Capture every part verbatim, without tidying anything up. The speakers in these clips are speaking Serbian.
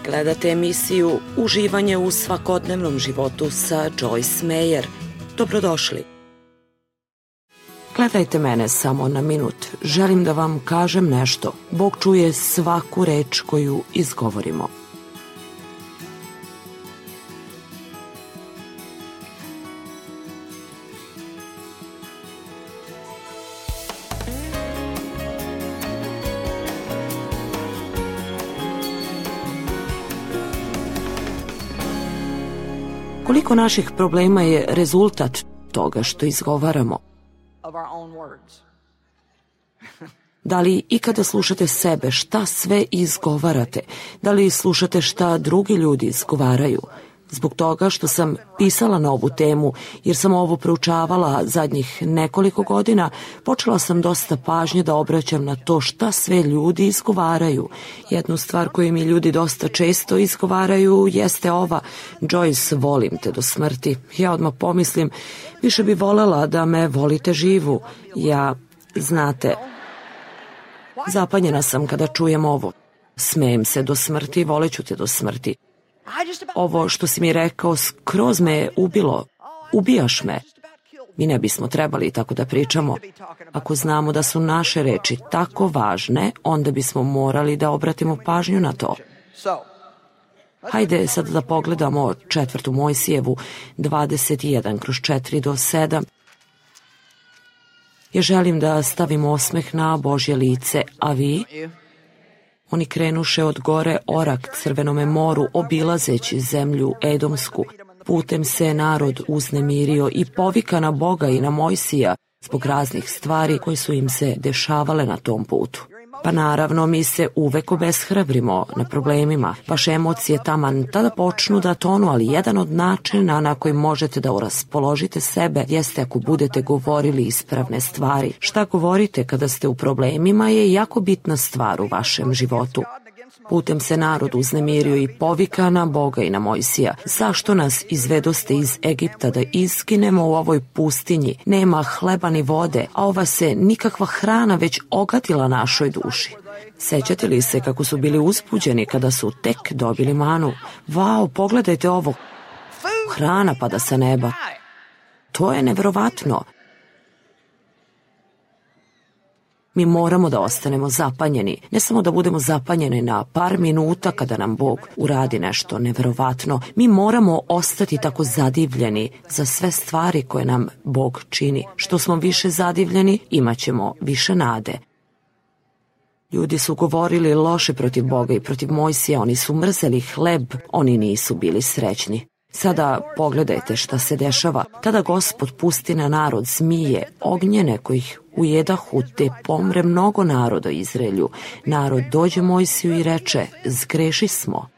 Gledate emisiju Uživanje u svakodnevnom životu sa Joyce Meyer. Dobrodošli. Gledajte mene samo na minut. Želim da vam kažem nešto. Bog čuje svaku reč koju izgovorimo. Koliko naših problema je rezultat toga što izgovaramo? Da li ikada slušate sebe šta sve izgovarate? Da li slušate šta drugi ljudi izgovaraju? Zbog toga što sam pisala na ovu temu, jer sam ovo proučavala zadnjih nekoliko godina, počela sam dosta pažnje da obraćam na to šta sve ljudi izgovaraju. Jednu stvar koju mi ljudi dosta često izgovaraju jeste ova: Joyce, volim te do smrti. Ja odmah pomislim, više bi volela da me volite živu. Ja, znate, zapanjena sam kada čujem ovo. Smejem se do smrti, voleću te do smrti. Ovo što si mi rekao skroz me je ubilo. Ubijaš me. Mi ne bismo trebali tako da pričamo. Ako znamo da su naše reči tako važne, onda bismo morali da obratimo pažnju na to. Hajde sad da pogledamo četvrtu Mojsijevu dvadeset jedan kroz četiri do sedam. Ja želim da stavim osmeh na Božje lice, a vi? Oni krenuše od gore Orak Crvenome moru, obilazeći zemlju Edomsku. Putem se narod uznemirio i povika na Boga i na Mojsija zbog raznih stvari koje su im se dešavale na tom putu. Pa naravno, mi se uvek obeshrabrimo na problemima. Vaše emocije taman tada počnu da tonu, ali jedan od načina na koji možete da raspoložite sebe jeste ako budete govorili ispravne stvari. Šta govorite kada ste u problemima je jako bitna stvar u vašem životu. Putem se narod uznemirio i povika na Boga i na Mojsija. Zašto nas izvedoste iz Egipta da izginemo u ovoj pustinji? Nema hleba ni vode, a ova se nikakva hrana već ogadila našoj duši. Sećate li se kako su bili uzbuđeni kada su tek dobili manu? Vau, pogledajte ovo. Hrana pada sa neba. To je neverovatno. Mi moramo da ostanemo zapanjeni, ne samo da budemo zapanjeni na par minuta kada nam Bog uradi nešto neverovatno. Mi moramo ostati tako zadivljeni za sve stvari koje nam Bog čini. Što smo više zadivljeni, imat ćemo više nade. Ljudi su govorili loše protiv Boga i protiv Mojsija, oni su mrzeli hleb, oni nisu bili srećni. Sada pogledajte šta se dešava. Tada Gospod pusti na narod zmije, ognjene kojih ujedahu, te pomre mnogo naroda Izraelju. Narod dođe Mojsiju i reče: zgreši smo.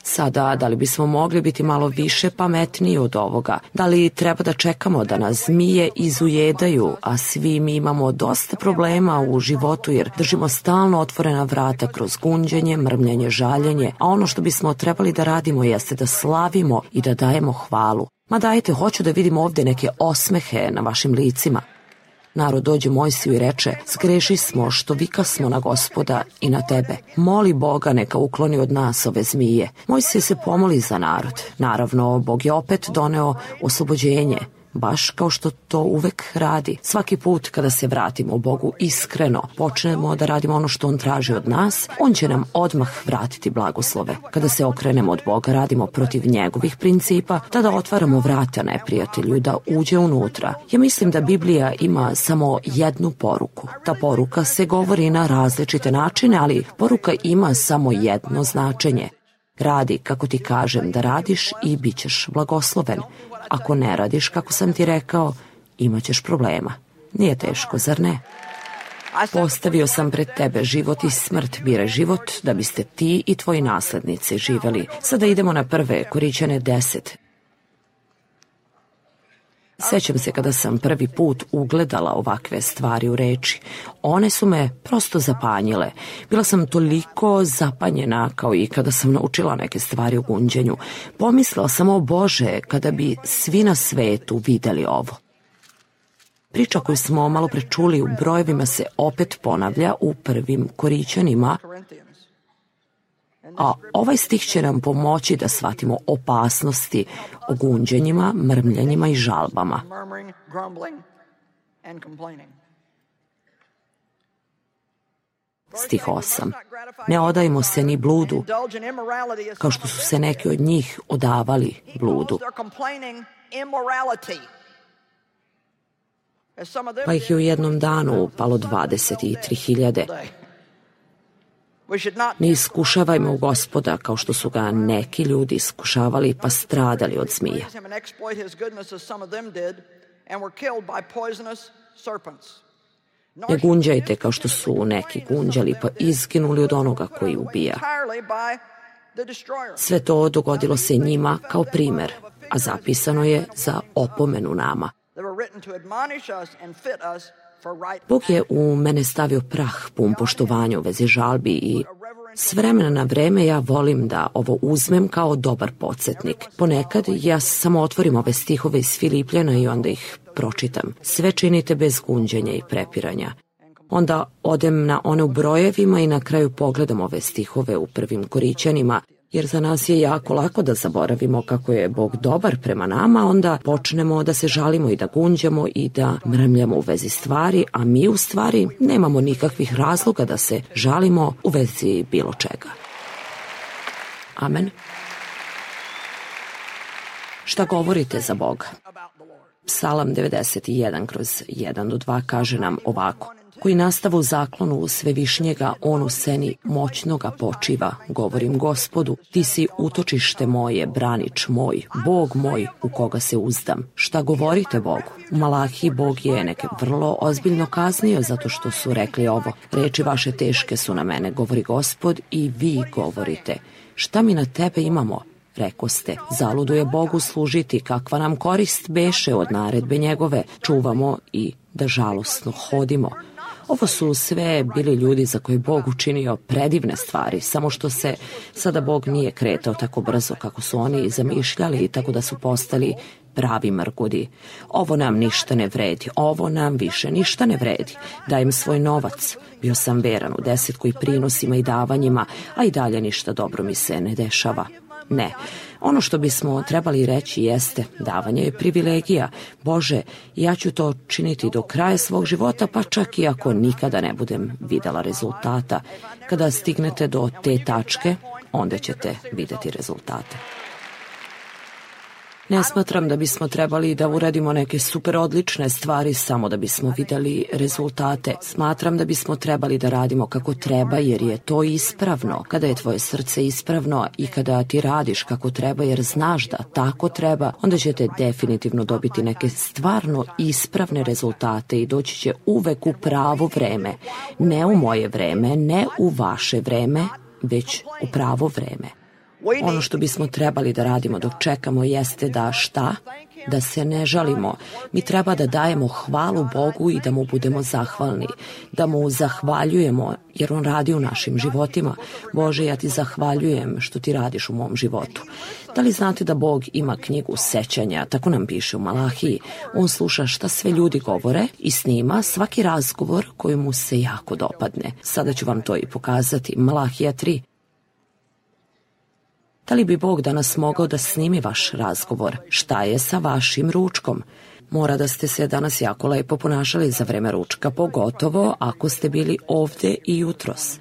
Sada, da li bismo mogli biti malo više pametniji od ovoga? Da li treba da čekamo da nas zmije izujedaju, a svi mi imamo dosta problema u životu jer držimo stalno otvorena vrata kroz gunđenje, mrmljenje, žaljenje, a ono što bismo trebali da radimo jeste da slavimo i da dajemo hvalu. Ma dajte, hoću da vidim ovde neke osmehe na vašim licima. Narod dođe Mojsiju i reče: zgreši smo što vikasmo na Gospoda i na tebe. Moli Boga neka ukloni od nas ove zmije. Mojsije se pomoli za narod. Naravno, Bog je opet doneo oslobođenje, baš kao što to uvek radi. Svaki put kada se vratimo Bogu iskreno, počnemo da radimo ono što On traži od nas, On će nam odmah vratiti blagoslove. Kada se okrenemo od Boga, radimo protiv njegovih principa, tada otvaramo vrata neprijatelju da uđe unutra. Ja mislim da Biblija ima samo jednu poruku. Ta poruka se govori na različite načine, ali poruka ima samo jedno značenje. Radi kako ti kažem da radiš i bit ćeš blagosloven. Ako ne radiš kako sam ti rekao, imat ćeš problema. Nije teško, zar ne? Postavio sam pred tebe život i smrt, biraj život da biste ti i tvoji naslednici živeli. Sada idemo na prve Korićane deset. Sećam se kada sam prvi put ugledala ovakve stvari u reči. One su me prosto zapanjile. Bila sam toliko zapanjena kao i kada sam naučila neke stvari u gunđenju. Pomislila sam: o Bože, kada bi svi na svetu videli ovo. Priča koju smo malo pre čuli u brojevima se opet ponavlja u prvim Korićanima, a ovaj stih će nam pomoći da shvatimo opasnosti o gunđenjima, mrmljanjima i žalbama. Stih osam. Ne odajmo se ni bludu, kao što su se neki od njih odavali bludu. Pa ih je u jednom danu upalo dvadeset tri hiljade. Ne iskušavajmo Gospoda kao što su ga neki ljudi iskušavali pa stradali od zmija. Ne gunđajte kao što su neki gunđali pa izginuli od onoga koji ubija. Sve to dogodilo se njima kao primer, a zapisano je za opomenu nama. Bog je u mene stavio prah pun poštovanja u vezi žalbi i s vremena na vreme ja volim da ovo uzmem kao dobar podsjetnik. Ponekad ja samo otvorim ove stihove iz Filipljana i onda ih pročitam. Sve činite bez gunđenja i prepiranja. Onda odem na one u brojevima i na kraju pogledam ove stihove u prvim Korićanima, jer za nas je jako lako da zaboravimo kako je Bog dobar prema nama, onda počnemo da se žalimo i da gunđamo i da mrmljamo u vezi stvari, a mi u stvari nemamo nikakvih razloga da se žalimo u vezi bilo čega. Amen. Šta govorite za Boga? Psalam devedeset jedan kroz jedan do dva kaže nam ovako: koji nastava u zaklonu svevišnjega, on u seni moćnoga počiva. Govorim Gospodu, ti si utočište moje, branič moj, Bog moj u koga se uzdam. Šta govorite Bogu? U Malahiji Bog je neke vrlo ozbiljno kaznio zato što su rekli ovo: reči vaše teške su na mene, govori Gospod, i vi govorite. Šta mi na tebe imamo? Rekoste, zaludo je Bogu služiti, kakva nam korist beše od naredbe njegove, čuvamo i da žalosno hodimo. Ovo su sve bili ljudi za koje Bog učinio predivne stvari, samo što se sada Bog nije kretao tako brzo kako su oni zamišljali, tako da su postali pravi mrgudi. Ovo nam ništa ne vredi, ovo nam više ništa ne vredi. Dajem svoj novac, bio sam veran u desetku i prinosima i davanjima, a i dalje ništa dobro mi se ne dešava. Ne, ono što bismo trebali reći jeste, davanje je privilegija. Bože, ja ću to činiti do kraja svog života, pa čak i ako nikada ne budem videla rezultata. Kada stignete do te tačke, onda ćete videti rezultate. Ne smatram da bismo trebali da uradimo neke super odlične stvari samo da bismo videli rezultate. Smatram da bismo trebali da radimo kako treba, jer je to ispravno. Kada je tvoje srce ispravno i kada ti radiš kako treba jer znaš da tako treba, onda ćete definitivno dobiti neke stvarno ispravne rezultate i doći će uvek u pravo vreme. Ne u moje vreme, ne u vaše vreme, već u pravo vreme. Ono što bismo trebali da radimo dok čekamo jeste da šta? Da se ne žalimo. Mi treba da dajemo hvalu Bogu i da mu budemo zahvalni. Da mu zahvaljujemo jer on radi u našim životima. Bože, ja ti zahvaljujem što ti radiš u mom životu. Da li znate da Bog ima knjigu sećanja? Tako nam piše u Malahiji. On sluša šta sve ljudi govore i snima svaki razgovor koji mu se jako dopadne. Sada ću vam to i pokazati. Malahija tri. Da li bi Bog danas mogao da snimi vaš razgovor? Šta je sa vašim ručkom? Mora da ste se danas jako lepo ponašali za vreme ručka, pogotovo ako ste bili ovde i jutros.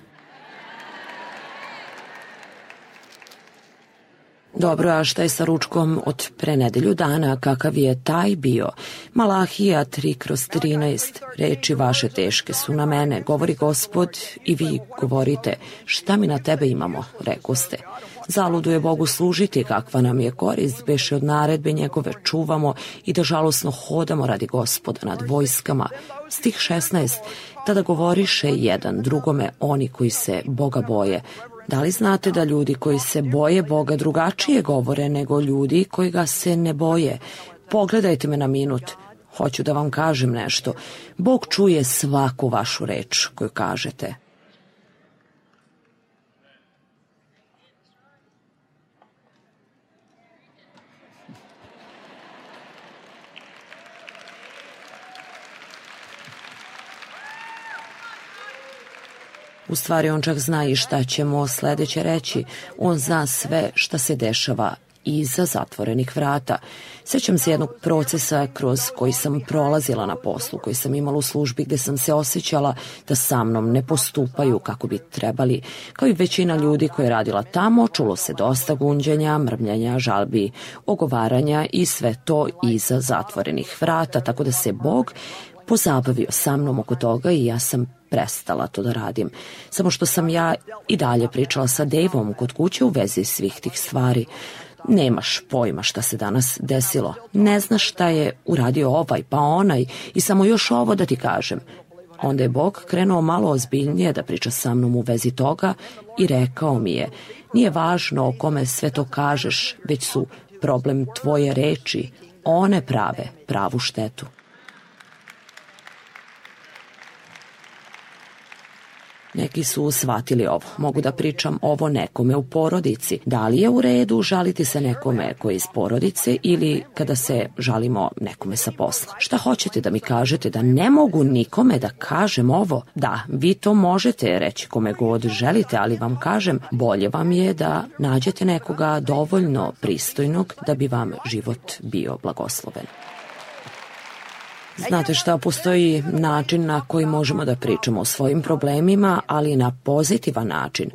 Dobro, a šta je sa ručkom od pre nedelju dana, kakav je taj bio? Malahija tri kroz trinaest, reči vaše teške su na mene, govori Gospod, i vi govorite, šta mi na tebe imamo, rekoste. Zaludo je Bogu služiti, kakva nam je korist, beše od naredbe njegove, čuvamo i da žalosno hodamo radi Gospoda nad vojskama. Stih šesnaest, tada govoriše jedan drugome oni koji se Boga boje. Da li znate da ljudi koji se boje Boga drugačije govore nego ljudi koji ga se ne boje? Pogledajte me na minut. Hoću da vam kažem nešto. Bog čuje svaku vašu reč koju kažete. U stvari on čak zna i šta ćemo sledeće reći. On zna sve šta se dešava iza zatvorenih vrata. Sećam se jednog procesa kroz koji sam prolazila na poslu, koji sam imala u službi gde sam se osjećala da sa mnom ne postupaju kako bi trebali. Kao i većina ljudi koja je radila tamo, čulo se dosta gunđenja, mrmljanja, žalbi, ogovaranja i sve to iza zatvorenih vrata, tako da se Bog pozabavio sa mnom oko toga i ja sam prestala to da radim. Samo što sam ja i dalje pričala sa Daveom kod kuće u vezi svih tih stvari. Nemaš pojma šta se danas desilo. Ne znaš šta je uradio ovaj pa onaj i samo još ovo da ti kažem. Onda je Bog krenuo malo ozbiljnije da priča sa mnom u vezi toga i rekao mi je, nije važno o kome sve to kažeš, već su problem tvoje reči. One prave pravu štetu. Neki su shvatili ovo. Mogu da pričam ovo nekome u porodici. Da li je u redu žaliti se nekome koji je iz porodice ili kada se žalimo nekome sa posla? Šta hoćete da mi kažete? Da ne mogu nikome da kažem ovo? Da, vi to možete reći kome god želite, ali vam kažem, bolje vam je da nađete nekoga dovoljno pristojnog da bi vam život bio blagosloven. Znate šta, postoji način na koji možemo da pričamo o svojim problemima, ali na pozitivan način.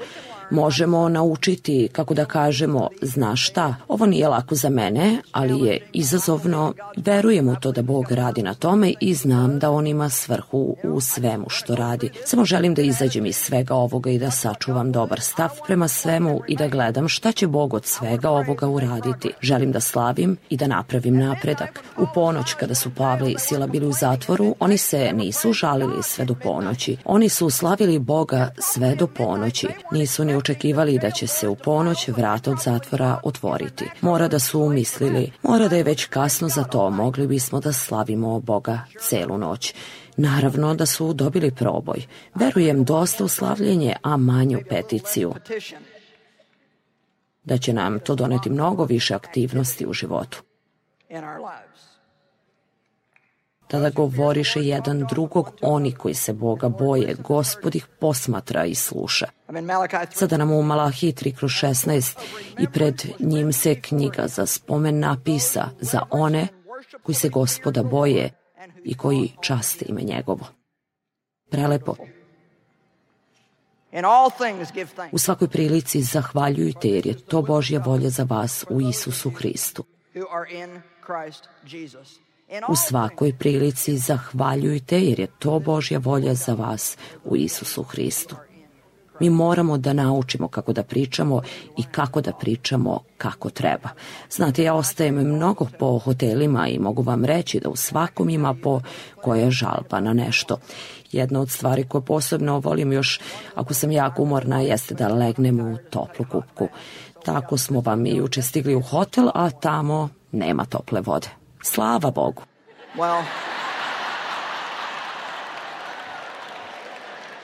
Možemo naučiti, kako da kažemo, znaš šta, ovo nije lako za mene, ali je izazovno, verujem u to da Bog radi na tome i znam da On ima svrhu u svemu što radi. Samo želim da izađem iz svega ovoga i da sačuvam dobar stav prema svemu i da gledam šta će Bog od svega ovoga uraditi. Želim da slavim i da napravim napredak. U ponoć kada su Pavle i Sila bili u zatvoru, oni se nisu žalili sve do ponoći. Oni su slavili Boga sve do ponoći. Nisu ni očekivali da će se u ponoć vrata od zatvora otvoriti. Mora da su umislili, mora da je već kasno za to, mogli bismo da slavimo Boga celu noć. Naravno da su dobili proboj. Verujem dosta u slavljenje, a manju peticiju. Da će nam to doneti mnogo više aktivnosti u životu. Tada govoriše jedan drugog, oni koji se Boga boje, Gospod ih posmatra i sluša. Sada nam u Malahiji tri kroz šesnaest i pred njim se knjiga za spomen napisa za one koji se Gospoda boje i koji časte ime njegovo. Prelepo. U svakoj prilici zahvaljujte jer je to Božja volja za vas u Isusu Hristu. U svakoj prilici zahvaljujte jer je to Božja volja za vas u Isusu Hristu. Mi moramo da naučimo kako da pričamo i kako da pričamo kako treba. Znate, ja ostajem mnogo po hotelima i mogu vam reći da u svakom ima po koja žalba na nešto. Jedna od stvari koje posebno volim još ako sam jako umorna jeste da legnem u toplu kupku. Tako smo vam i juče stigli u hotel, a tamo nema tople vode. Slava Bogu. Well.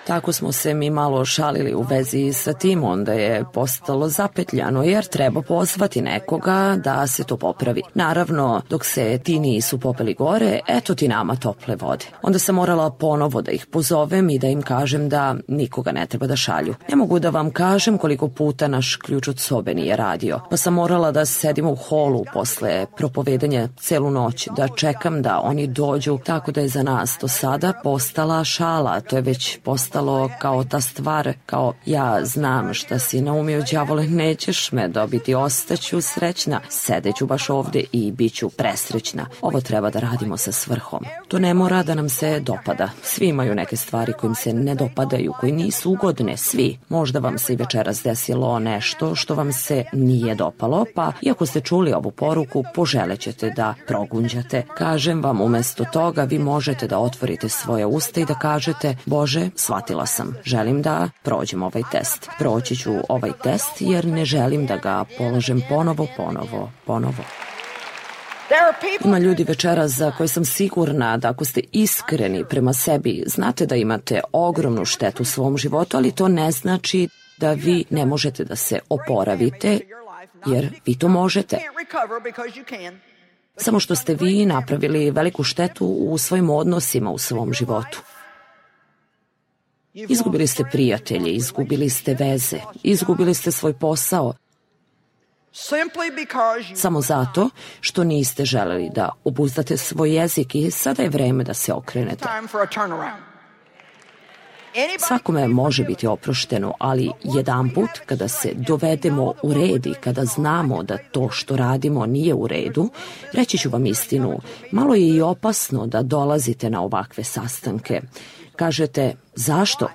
Tako smo se mi malo šalili u vezi sa tim, onda je postalo zapetljano jer treba pozvati nekoga da se to popravi. Naravno, dok se ti nisu popeli gore, eto ti nama tople vode. Onda sam morala ponovo da ih pozovem i da im kažem da nikoga ne treba da šalju. Ne mogu da vam kažem koliko puta naš ključ od sobe nije radio, pa sam morala da sedimo u holu posle propovedanja celu noć, da čekam da oni dođu, tako da je za nas do sada postala šala, to je već postalo kao ta stvar, kao ja znam šta si naumio, đavole, nećeš me dobiti, ostaću srećna, sedeću baš ovde i bit ću presrećna. Ovo treba da radimo sa svrhom. To ne mora da nam se dopada. Svi imaju neke stvari kojim se ne dopadaju, koji nisu ugodne, svi. Možda vam se i večeras desilo nešto što vam se nije dopalo, pa iako ste čuli ovu poruku, poželećete da progunđate. Kažem vam, umesto toga vi možete da otvorite svoje usta i da kažete, Bože, shvatila sam, želim da prođem ovaj test. Proći ću ovaj test jer ne želim da ga polažem ponovo, ponovo, ponovo. Ima ljudi večeras za koje sam sigurna da ako ste iskreni prema sebi, znate da imate ogromnu štetu u svom životu, ali to ne znači da vi ne možete da se oporavite, jer vi to možete. Samo što ste vi napravili veliku štetu u svojim odnosima u svom životu. Izgubili ste prijatelje, izgubili ste veze, izgubili ste svoj posao, samo zato što niste želeli da obuzdate svoj jezik i sada je vreme da se okrenete. Svakome može biti oprošteno, ali jedanput kada se dovedemo u red i kada znamo da to što radimo nije u redu, reći ću vam istinu, malo je i opasno da dolazite na ovakve sastanke. Kažete, zašto?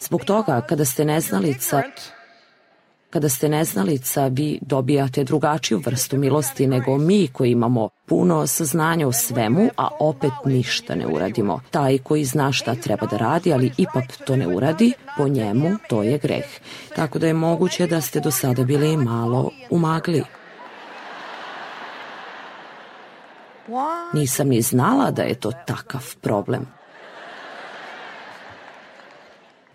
Zbog toga kada ste neznalica, kada ste neznalica, vi dobijate drugačiju vrstu milosti nego mi koji imamo puno saznanja o svemu, a opet ništa ne uradimo. Taj koji zna šta treba da radi, ali ipak to ne uradi, po njemu to je greh. Tako da je moguće da ste do sada bili malo u magli. Nisam ni znala da je to takav problem.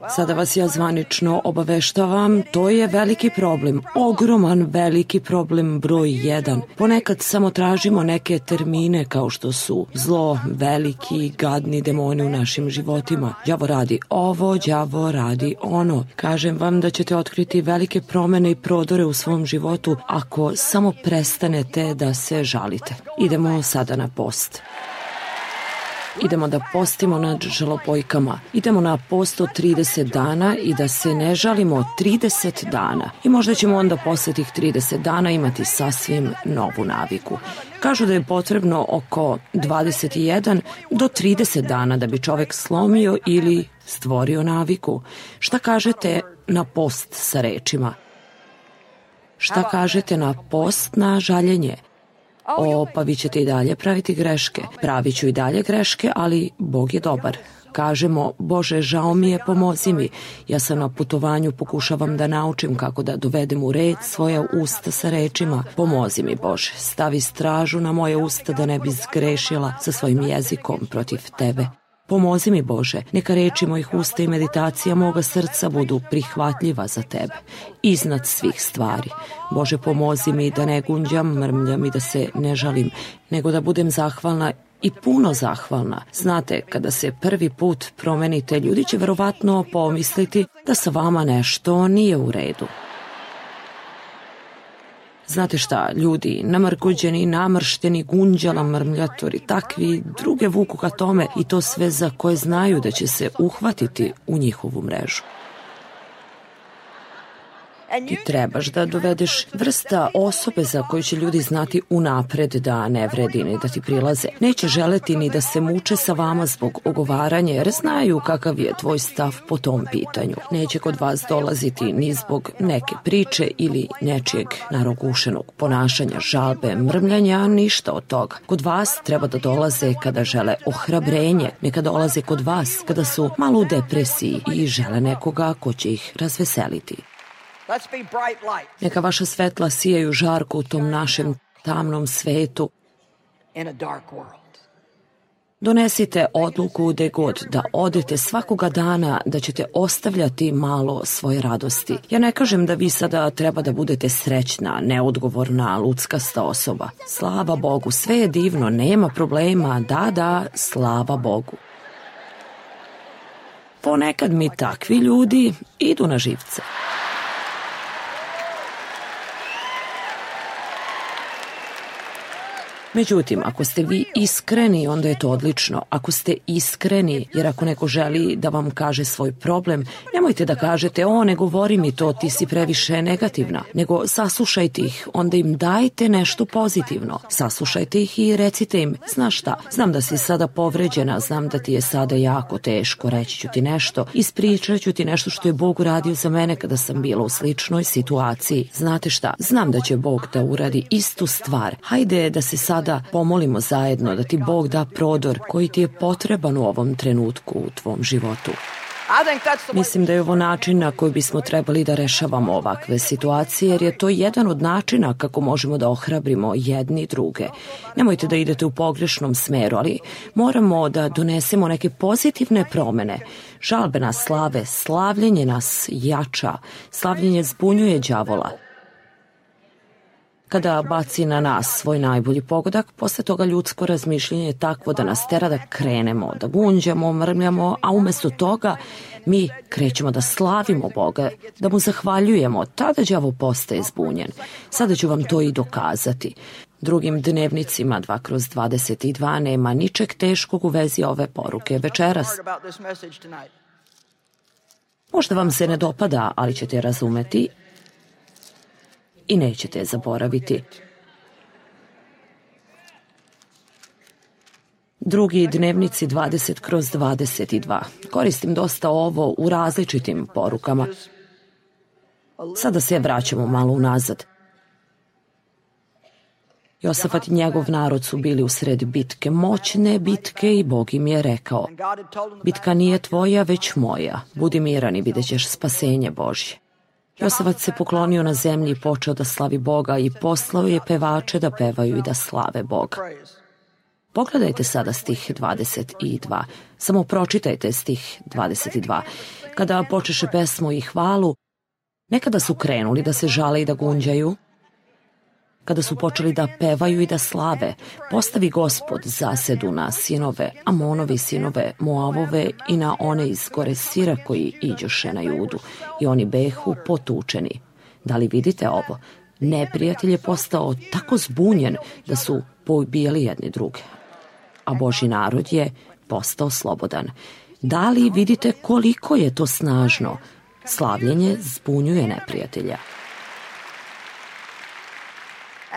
Sada vas ja zvanično obaveštavam, to je veliki problem, ogroman veliki problem broj jedan. Ponekad samo tražimo neke termine kao što su zlo, veliki, gadni demoni u našim životima. Đavo radi ovo, đavo radi ono. Kažem vam da ćete otkriti velike promene i prodore u svom životu ako samo prestanete da se žalite. Idemo sada na post. Idemo da postimo nad žalopojkama. Idemo na post od trideset dana i da se ne žalimo trideset dana. I možda ćemo onda posle tih trideset dana imati sasvim novu naviku. Kažu da je potrebno oko dvadeset jedan do trideset dana da bi čovek slomio ili stvorio naviku. Šta kažete na post sa rečima? Šta kažete na post na žaljenje? O, pa vi ćete i dalje praviti greške. Pravit ću i dalje greške, ali Bog je dobar. Kažemo, Bože, žao mi je, pomozi mi. Ja sam na putovanju, pokušavam da naučim kako da dovedem u red svoja usta sa rečima. Pomozi mi, Bože, stavi stražu na moje usta da ne bi zgrešila sa svojim jezikom protiv Tebe. Pomozi mi, Bože, neka reči mojih usta i meditacija moga srca budu prihvatljiva za Tebe, iznad svih stvari. Bože, pomozi mi da ne gunđam, mrmljam i da se ne žalim, nego da budem zahvalna i puno zahvalna. Znate, kada se prvi put promenite, ljudi će verovatno pomisliti da sa vama nešto nije u redu. Znate šta, ljudi, namrgođeni, namršteni, gunđala, mrmljatori, takvi, druge vuku ka tome i to sve za koje znaju da će se uhvatiti u njihovu mrežu. Ti trebaš da dovedeš vrsta osobe za koju će ljudi znati unapred da ne vredi ni da ti prilaze. Neće želeti ni da se muče sa vama zbog ogovaranja jer znaju kakav je tvoj stav po tom pitanju. Neće kod vas dolaziti ni zbog neke priče ili nečijeg narogušenog ponašanja, žalbe, mrmljanja, ništa od toga. Kod vas treba da dolaze kada žele ohrabrenje, neka dolaze kod vas kada su malo u depresiji i žele nekoga ko će ih razveseliti. Neka vaša svetla sijaju žarko u tom našem tamnom svetu. Donesite odluku gde god da odete svakoga dana da ćete ostavljati malo svoje radosti. Ja ne kažem da vi sada treba da budete srećna, neodgovorna, luckasta osoba. Slava Bogu, sve je divno, nema problema, da, da, slava Bogu. Ponekad mi takvi ljudi idu na živce. Međutim, ako ste vi iskreni, onda je to odlično. Ako ste iskreni, jer ako neko želi da vam kaže svoj problem, nemojte da kažete, o, ne govori mi to, ti si previše negativna, nego saslušajte ih, onda im dajte nešto pozitivno. Saslušajte ih i recite im, znaš šta, znam da si sada povređena, znam da ti je sada jako teško, reći ću ti nešto, ispričat ću ti nešto što je Bog uradio za mene kada sam bila u sličnoj situaciji. Znate šta, znam da će Bog da uradi istu stvar. Hajde da se sad da pomolimo zajedno da ti Bog da prodor koji ti je potreban u ovom trenutku u tvom životu. Mislim da je ovo način na koji bismo trebali da rešavamo ovakve situacije, jer je to jedan od načina kako možemo da ohrabrimo jedni druge. Nemojte da idete u pogrešnom smeru, ali moramo da donesemo neke pozitivne promene. Žalbe nas slave, slavljenje nas jača, slavljenje zbunjuje đavola. kada baci na nas svoj najbolji pogodak, posle toga ljudsko razmišljenje je takvo da nas tera da krenemo, da gunđamo, mrmljamo, a umesto toga mi krećemo da slavimo Boga, da mu zahvaljujemo. Tada đavo postaje zbunjen. Sada ću vam to i dokazati. Drugim dnevnicima dva kroz dvadeset dva nema ničeg teškog u vezi ove poruke večeras. Možda vam se ne dopada, ali ćete razumeti i nećete je zaboraviti. Drugi dnevnici dvadeset kroz dvadeset dva. Koristim dosta ovo u različitim porukama. Sada se vraćamo malo unazad. Josafat i njegov narod su bili u sred bitke, moćne bitke, i Bog im je rekao: bitka nije tvoja, već moja. Budi miran i vidjet ćeš spasenje Božje. Josafat se poklonio na zemlji i počeo da slavi Boga i poslao je pevače da pevaju i da slave Boga. Pogledajte sada stih dvadeset dva. Samo pročitajte stih dvadeset dva. Kada počeše pesmu i hvalu, nekada su krenuli da se žale i da gunđaju. Kada su počeli da pevaju i da slave, postavi Gospod zasedu na sinove Amonovi, sinove Moavove i na one iz gore Sira koji iđoše na Judu, i oni behu potučeni. Da li vidite ovo? Neprijatelj je postao tako zbunjen da su poubijali jedni druge, a Božji narod je postao slobodan. Da li vidite koliko je to snažno? Slavljenje zbunjuje neprijatelja.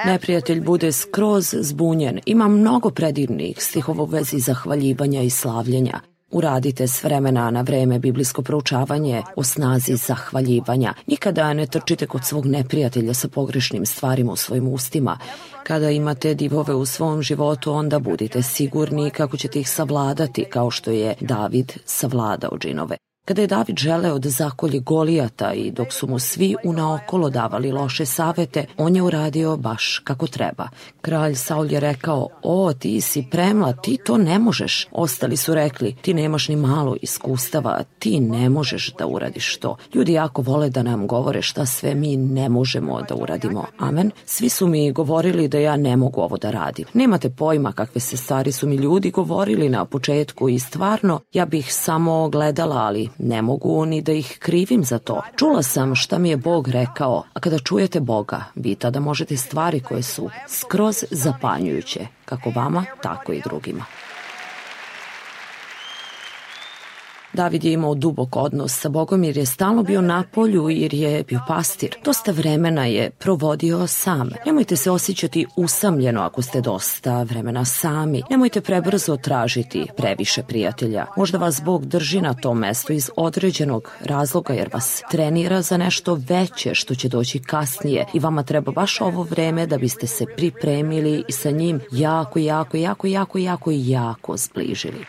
Neprijatelj bude skroz zbunjen. Ima mnogo predivnih stihova u vezi zahvaljivanja i slavljenja. Uradite s vremena na vreme biblijsko proučavanje o snazi zahvaljivanja. Nikada ne trčite kod svog neprijatelja sa pogrešnim stvarima u svojim ustima. Kada imate divove u svom životu, onda budite sigurni kako ćete ih savladati, kao što je David savladao džinove. Kada je David želeo da zakolje Golijata i dok su mu svi unaokolo davali loše savete, on je uradio baš kako treba. Kralj Saul je rekao: o, ti si premla, ti to ne možeš. Ostali su rekli: ti nemaš ni malo iskustava, ti ne možeš da uradiš to. Ljudi jako vole da nam govore šta sve mi ne možemo da uradimo. Amen. Svi su mi govorili da ja ne mogu ovo da radim. Nemate pojma kakve se stvari su mi ljudi govorili na početku i stvarno ja bih samo gledala, ali ne mogu ni da ih krivim za to. Čula sam šta mi je Bog rekao, a kada čujete Boga, vi tada možete stvari koje su skroz zapanjujuće, kako vama, tako i drugima. David je imao dubok odnos sa Bogom jer je stalno bio na polju, jer je bio pastir. Dosta vremena je provodio sam. Nemojte se osjećati usamljeno ako ste dosta vremena sami. Nemojte prebrzo tražiti previše prijatelja. Možda vas Bog drži na tom mestu iz određenog razloga jer vas trenira za nešto veće što će doći kasnije i vama treba baš ovo vreme da biste se pripremili i sa njim jako, jako, jako, jako, jako, jako zbližili.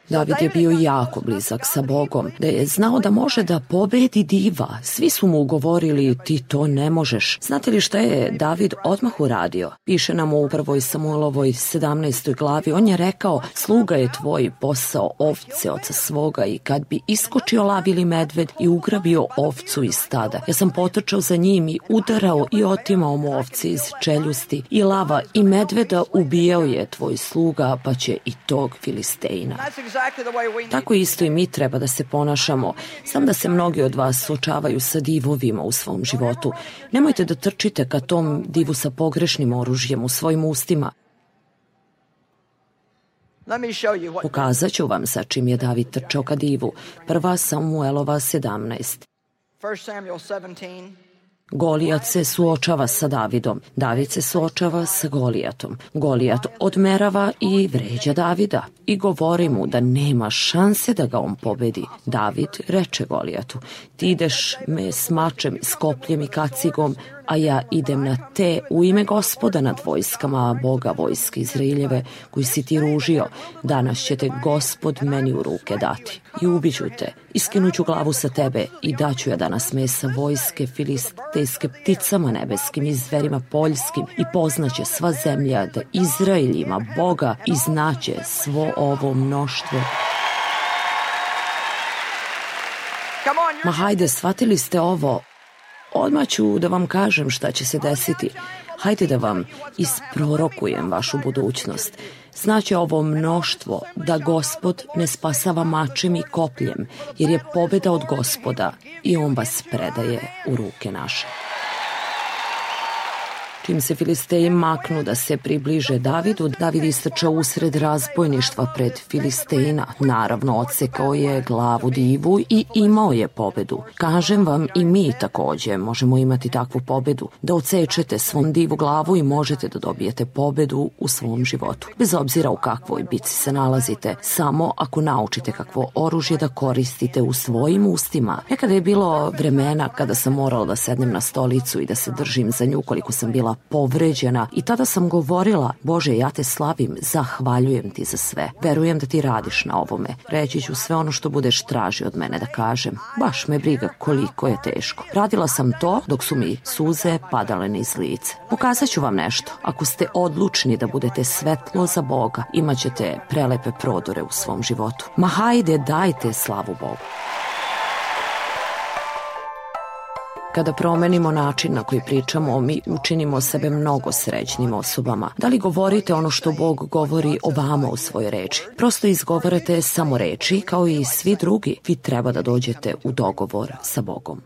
David je bio jako blizak sa Bogom, da je znao da može da pobedi diva. Svi su mu govorili: ti to ne možeš. Znate li šta je David odmah uradio? Piše nam u prvoj Samuelovoj sedamnaestoj glavi. On je rekao: sluga je tvoj posao ovce oca svoga, i kad bi iskočio lav ili medved i ugrabio ovcu iz stada, ja sam potrčao za njim i udarao i otimao mu ovce iz čeljusti, i lava i medveda ubijao je tvoj sluga, pa će i tog Filistejna. Tako isto i mi treba da se ponašamo. Znam da se mnogi od vas suočavaju sa divovima u svom životu. Nemojte da trčite ka tom divu sa pogrešnim oružjem u svojim ustima. Pokazat ću vam sa čim je David trčao ka divu. Prva Samuelova sedamnaest. Golijat se suočava sa Davidom. David se suočava sa Golijatom. Golijat odmerava i vređa Davida i govori mu da nema šanse da ga on pobedi. David reče Golijatu: ti ideš me s mačem, s kopljem i kacigom, a ja idem na te u ime Gospoda nad vojskama, Boga vojske Izraeljeve, koji si ti ružio. Danas će te Gospod meni u ruke dati i ubiću te, iskinuću glavu sa tebe i daću ja danas mesa vojske filistejske pticama nebeskim i zverima poljskim, i poznaće sva zemlja da Izrael ima Boga i znaće svo ovo mnoštvo. Ma hajde, shvatili ste ovo? Odmah ću da vam kažem šta će se desiti. Hajde da vam isprorokujem vašu budućnost. Znaće ovo mnoštvo da Gospod ne spasava mačem i kopljem, jer je pobeda od Gospoda i on vas predaje u ruke naše. Čim se Filisteji maknu da se približe Davidu, David istrčao usred razbojništva pred Filistejina. Naravno, odsekao je glavu divu i imao je pobedu. Kažem vam, i mi takođe možemo imati takvu pobedu, da odsečete svom divu glavu i možete da dobijete pobedu u svom životu. Bez obzira u kakvoj bici se nalazite, samo ako naučite kakvo oružje da koristite u svojim ustima. Nekada je bilo vremena kada sam morala da sednem na stolicu i da se držim za nju koliko sam bila povređena i tada sam govorila: Bože, ja te slavim, zahvaljujem ti za sve. Verujem da ti radiš na ovome. Reći ću sve ono što budeš tražio od mene da kažem. Baš me briga koliko je teško. Radila sam to dok su mi suze padale niz lice. Pokazat ću vam nešto. Ako ste odlučni da budete svetlo za Boga, imat ćete prelepe prodore u svom životu. Ma hajde, dajte slavu Bogu. Kada promenimo način na koji pričamo, mi učinimo sebe mnogo srećnim osobama. Da li govorite ono što Bog govori o vama u svojoj reči? Prosto izgovarate samo reči, kao i svi drugi. Vi treba da dođete u dogovor sa Bogom.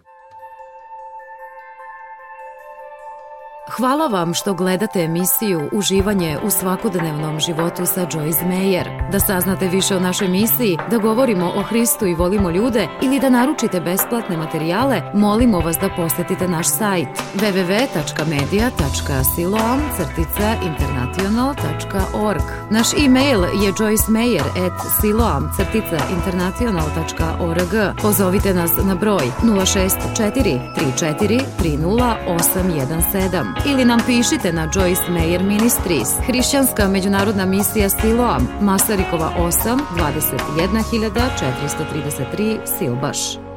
Hvala vam što gledate emisiju Uživanje u svakodnevnom životu sa Joyce Meyer. Da saznate više o našoj misiji, da govorimo o Hristu i volimo ljude ili da naručite besplatne materijale, molimo vas da posetite naš sajt w w w tačka media tačka siloam crtica international tačka org. Naš e-mail je joycemeyer at siloam crtica international tačka org. Pozovite nas na broj nula šest četiri tri četiri tri nula osam jedan sedam. Ili nam pišite na Joyce Meyer Ministries, Hrišćanska međunarodna misija Siloam, Masarikova osam, dvadeset jedna hiljada četiristo trideset tri, Silbaš.